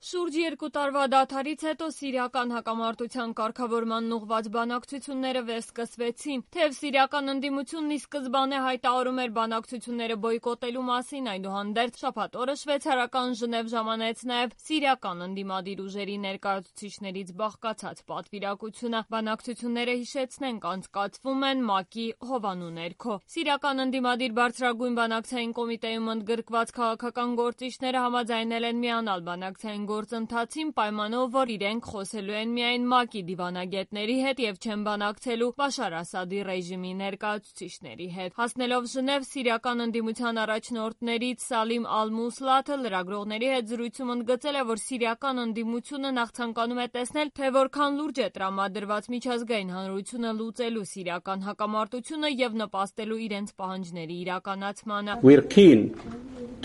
Շուրջ 2 տարվա դադարից հետո սիրիական հակամարտության կարգավորման ուղղված բանակցությունները վերսկսվեցին, թեև սիրիական ընդդիմությունն ի սկզբանե հայտարարում էր բանակցությունները բոյկոտելու մասին, այդուհանդերձ շաբաթ օրը շվեյցարական Ժնև ժամանեց նաև սիրիական ընդդիմադիր ուժերի ներկայացուցիչներից բաղկացած պատվիրակությունը։ Բանակցությունները, հիշեցնենք, անցկացվում են ՄԱԿ-ի հովանու ներքո։ Սիրիական ընդդիմադիր բարձրագույն բանակցային կոմիտեում ընդգրկված քաղաքական գործիչները համաձայնել են միանալ բանակցային գործընթացին պայմանով, որ իրենք խոսելու են միայն ՄԱԿ-ի դիվանագետների հետ եւ չեն բանակցելու Բաշար Ասադի ռեժիմի ներկայացուցիչների հետ։ Հասնելով Ժնև, սիրիական ընդդիմության առաջնորդներից Սալիմ Ալ-Մուսլաթը լրագրողների հետ զրույցում ընդգծել է, որ սիրիական ընդդիմությունը նախ ցանկանում է տեսնել, թե որքան լուրջ է տրամադրված միջազգային հանրությունը լուծելու սիրիական հակամարտությունը եւ նպաստելու իրենց պահանջների իրականացմանը։ We're keen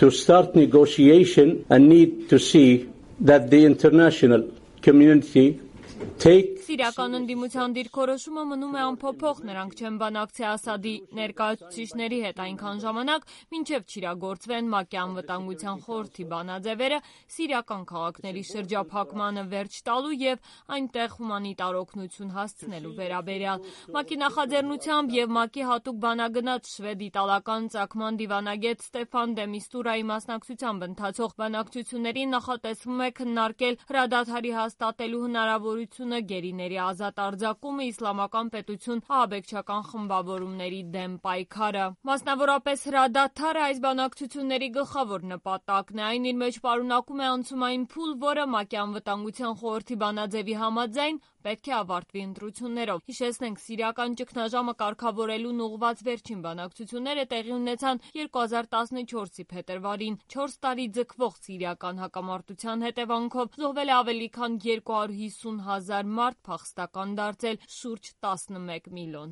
to start negotiation and need to see that the international community take Սիրիական ընդդիմության դիրքորոշումը մնում է անփոփոխ, նրանք չեն բանակցի Ասադի ներկայացուցիչների հետ այնքան ժամանակ, մինչև չիրագործվեն ՄԱԿ-ի անվտանգության խորհրդի բանաձևերը սիրիական քաղաքների շրջափակմանը վերջ տալու եւ այնտեղ հումանիտար օգնություն հասցնելու վերաբերյալ։ ՄԱԿ-ի նախաձեռնությամբ եւ ՄԱԿ-ի հատուկ բանագնաց շվեդ-իտալական ծագման դիվանագետ Ստեֆան դե Միստուրայի մասնակցությամբ ընթացող բանակցություններին նախատեսվում է քննարկել հրադադարի հաստատելու հնարավորությունը, գերիների ազատ արձակումը, իսլամական պետություն ահաբեկչական խմբավորումների դեմ պայքարը։ Մասնավորապես հրադադարը այս բանակցությունների գլխավոր նպատակն է, այն իր մեջ պարունակում է անցումային փուլ, որը ՄԱԿ-ի անվտանգության խորհրդի բանաձևի համաձայն պետք է ավարտվի ընտրություններով։ Հիշեցնենք, սիրիական ճգնաժամը կարգավորելուն ուղղված վերջին բանակցությունները տեղի ունեցան 2014-ի փետրվարին։ 4 տարի ձգվող սիրիական հակամարտության հետևանքով զոհվել է ավելի քան 250,000 մարդ, փախստական դարձել շուրջ 11 միլիոն։